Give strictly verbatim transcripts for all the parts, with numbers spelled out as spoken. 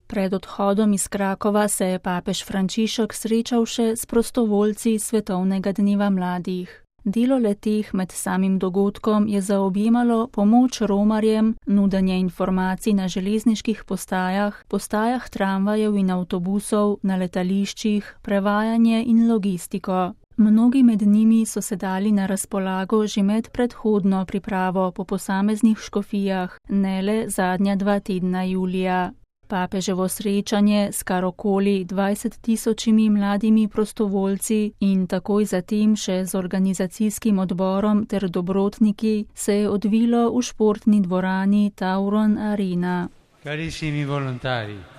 Pred odhodom iz Krakova se je papež Frančišek srečal še s prostovoljci Svetovnega dneva mladih. Delo leteh med samim dogodkom je zaobjemalo pomoč romarjem, nudenje informacij na železniških postajah, postajah tramvajev in avtobusov, na letališčih, prevajanje in logistiko. Mnogi med njimi so se dali na razpolago že med predhodno pripravo po posameznih škofijah, ne le zadnja dva tedna julija. Papeževo srečanje s kar okoli dvajset tisočimi mladimi prostovoljci in takoj zatem še z organizacijskim odborom ter dobrotniki se je odvilo v športni dvorani Tauron Arena. Carissimi volontari.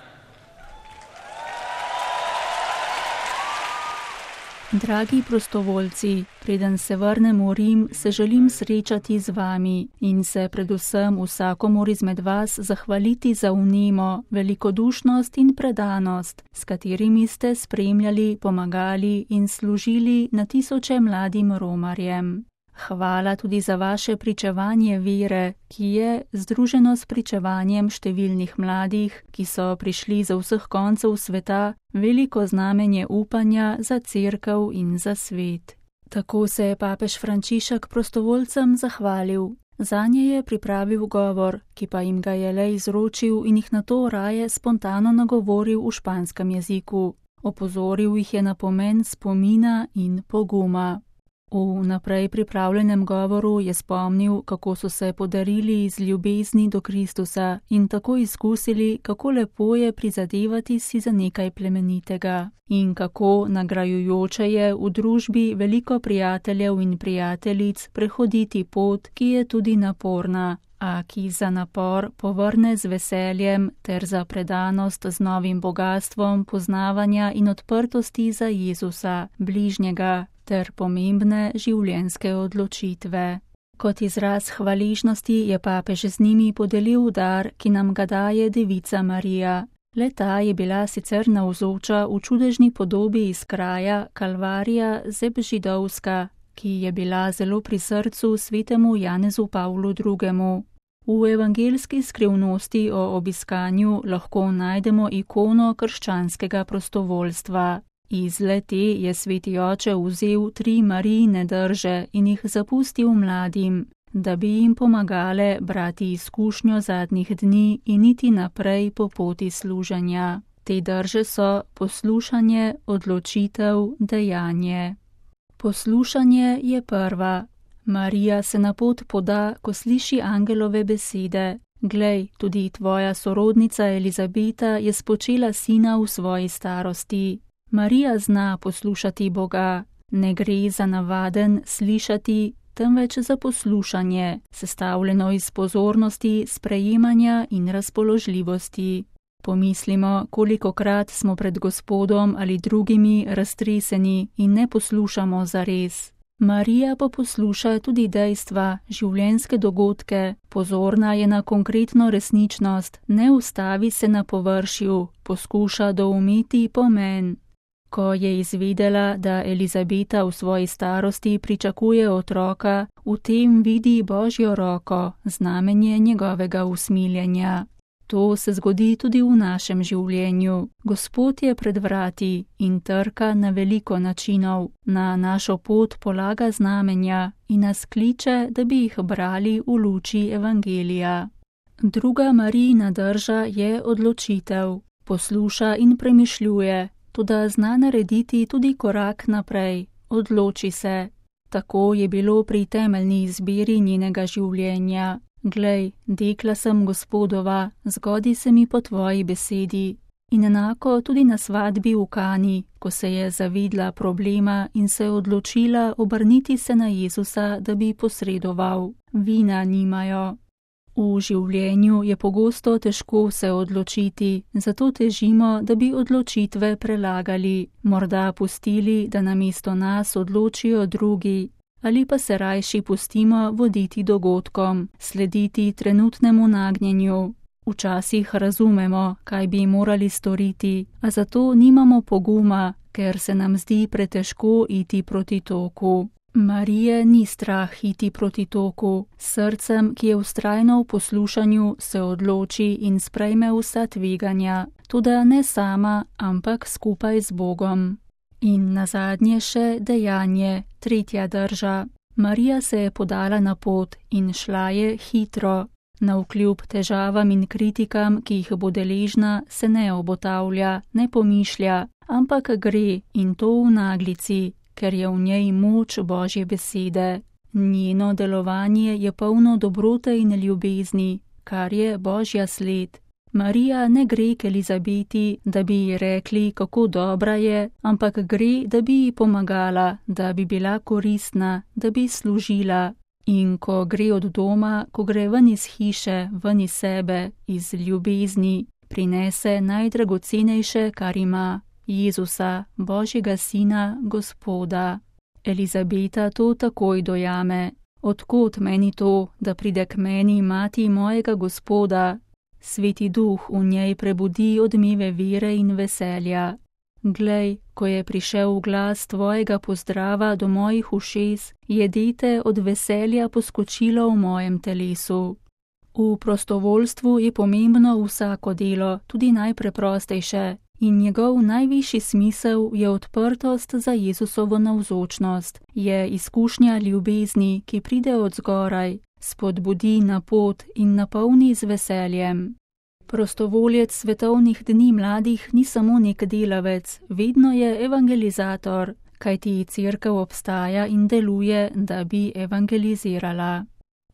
Dragi prostovoljci, preden se vrnem v Rim, se želim srečati z vami in se predvsem vsakomur izmed vas zahvaliti za vnemo, velikodušnost in predanost, s katerimi ste spremljali, pomagali in služili na tisoče mladim romarjem. Hvala tudi za vaše pričevanje vere, ki je, združeno s pričevanjem številnih mladih, ki so prišli za vseh koncev sveta, veliko znamenje upanja za cerkev in za svet. Tako se je papež Frančišek prostovoljcem zahvalil. Zanje je pripravil govor, ki pa jim ga je le izročil in jih nato raje spontano nagovoril v španskem jeziku. Opozoril jih je na pomen spomina in poguma. V naprej pripravljenem govoru je spomnil, kako so se podarili iz ljubezni do Kristusa in tako izkusili, kako lepo je prizadevati si za nekaj plemenitega in kako nagrajujoče je v družbi veliko prijateljev in prijateljic prehoditi pot, ki je tudi naporna, a ki za napor povrne z veseljem ter za predanost z novim bogastvom poznavanja in odprtosti za Jezusa, bližnjega, ter pomembne življenjske odločitve. Kot izraz hvaležnosti je papež z njimi podelil dar, ki nam ga daje Devica Marija. Le-ta je bila sicer navzoča v čudežni podobi iz kraja Kalvarija Zebžidovska, ki je bila zelo pri srcu svetemu Janezu Pavlu drugemu. V evangeljski skrivnosti o obiskanju lahko najdemo ikono krščanskega prostovoljstva. Iz le-te je sveti oče vzel tri Marijine drže in jih zapustil mladim, da bi jim pomagale brati izkušnjo zadnjih dni in iti naprej po poti služenja. Te drže so poslušanje, odločitev, dejanje. Poslušanje je prva. Marija se na pot poda, ko sliši angelove besede. Glej, tudi tvoja sorodnica Elizabeta je spočela sina v svoji starosti. Marija zna poslušati Boga. Ne gre za navaden slišati, temveč za poslušanje, sestavljeno iz pozornosti, sprejemanja in razpoložljivosti. Pomislimo, kolikokrat smo pred Gospodom ali drugimi raztreseni in ne poslušamo zares. Marija pa posluša tudi dejstva, življenjske dogodke, pozorna je na konkretno resničnost, ne ustavi se na površju, poskuša doumeti pomen. Ko je izvedela, da Elizabeta v svoji starosti pričakuje otroka, v tem vidi Božjo roko, znamenje njegovega usmiljenja. To se zgodi tudi v našem življenju. Gospod je pred vrati in trka na veliko načinov, na našo pot polaga znamenja in nas kliče, da bi jih brali v luči evangelija. Druga Marijina drža je odločitev. Posluša in premišljuje, toda zna narediti tudi korak naprej. Odloči se. Tako je bilo pri temeljni izbiri njenega življenja. Glej, dekla sem Gospodova, zgodi se mi po tvoji besedi. In enako tudi na svadbi v Kani, ko se je zavedla problema in se odločila obrniti se na Jezusa, da bi posredoval. Vina nimajo. V življenju je pogosto težko se odločiti, zato težimo, da bi odločitve prelagali, morda pustili, da namesto nas odločijo drugi. Ali pa se rajši pustimo voditi dogodkom, slediti trenutnemu nagnjenju. Včasih razumemo, kaj bi morali storiti, a zato nimamo poguma, ker se nam zdi pretežko iti proti toku. Marije ni strah iti proti toku, srcem, ki je vztrajno v poslušanju, se odloči in sprejme vsa tveganja, toda ne sama, ampak skupaj z Bogom. In nazadnje še dejanje, tretja drža. Marija se je podala na pot in šla je hitro. Navkljub težavam in kritikam, ki jih bo deležna, se ne obotavlja, ne pomišlja, ampak gre in to v naglici, ker je v njej moč Božje besede. Njeno delovanje je polno dobrote in ljubezni, kar je Božja sled. Marija ne gre k Elizabeti, da bi ji rekli, kako dobra je, ampak gre, da bi ji pomagala, da bi bila koristna, da bi služila. In ko gre od doma, ko gre ven iz hiše, ven iz sebe, iz ljubezni, prinese najdragocenejše, kar ima, Jezusa, Božjega Sina, Gospoda. Elizabeta to takoj dojame. Odkot meni to, da pride k meni mati mojega Gospoda? Sveti Duh v njej prebudi odmeve vere in veselja. Glej, ko je prišel glas tvojega pozdrava do mojih ušes, je dete od veselja poskočilo v mojem telesu. V prostovoljstvu je pomembno vsako delo, tudi najpreprostejše, in njegov najvišji smisel je odprtost za Jezusovo navzočnost, je izkušnja ljubezni, ki pride od zgoraj, spodbudi na pot in napolni z veseljem. Prostovoljec svetovnih dni mladih ni samo nek delavec, vedno je evangelizator, kajti cerkev obstaja in deluje, da bi evangelizirala.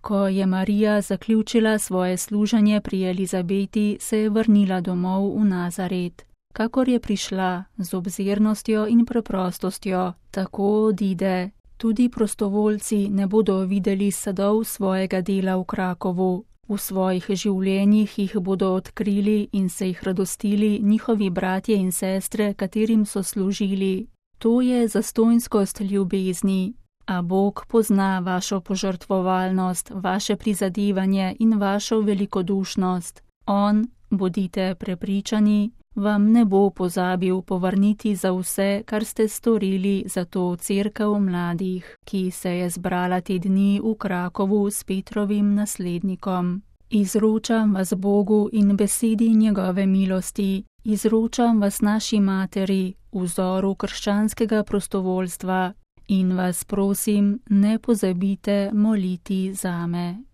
Ko je Marija zaključila svoje služenje pri Elizabeti, se je vrnila domov v Nazaret. Kakor je prišla, z obzirnostjo in preprostostjo, tako odide. Tudi prostovoljci ne bodo videli sadov svojega dela v Krakovu. V svojih življenjih jih bodo odkrili in se jih radostili njihovi bratje in sestre, katerim so služili. To je zastonjskost ljubezni. A Bog pozna vašo požrtvovalnost, vaše prizadevanje in vašo velikodušnost. On, bodite prepričani, vam ne bo pozabil povrniti za vse, kar ste storili za to cerkev mladih, ki se je zbrala te dni v Krakovu s Petrovim naslednikom. Izročam vas Bogu in besedi njegove milosti, izročam vas naši materi, vzoru krščanskega prostovoljstva, in vas prosim, ne pozabite moliti zame.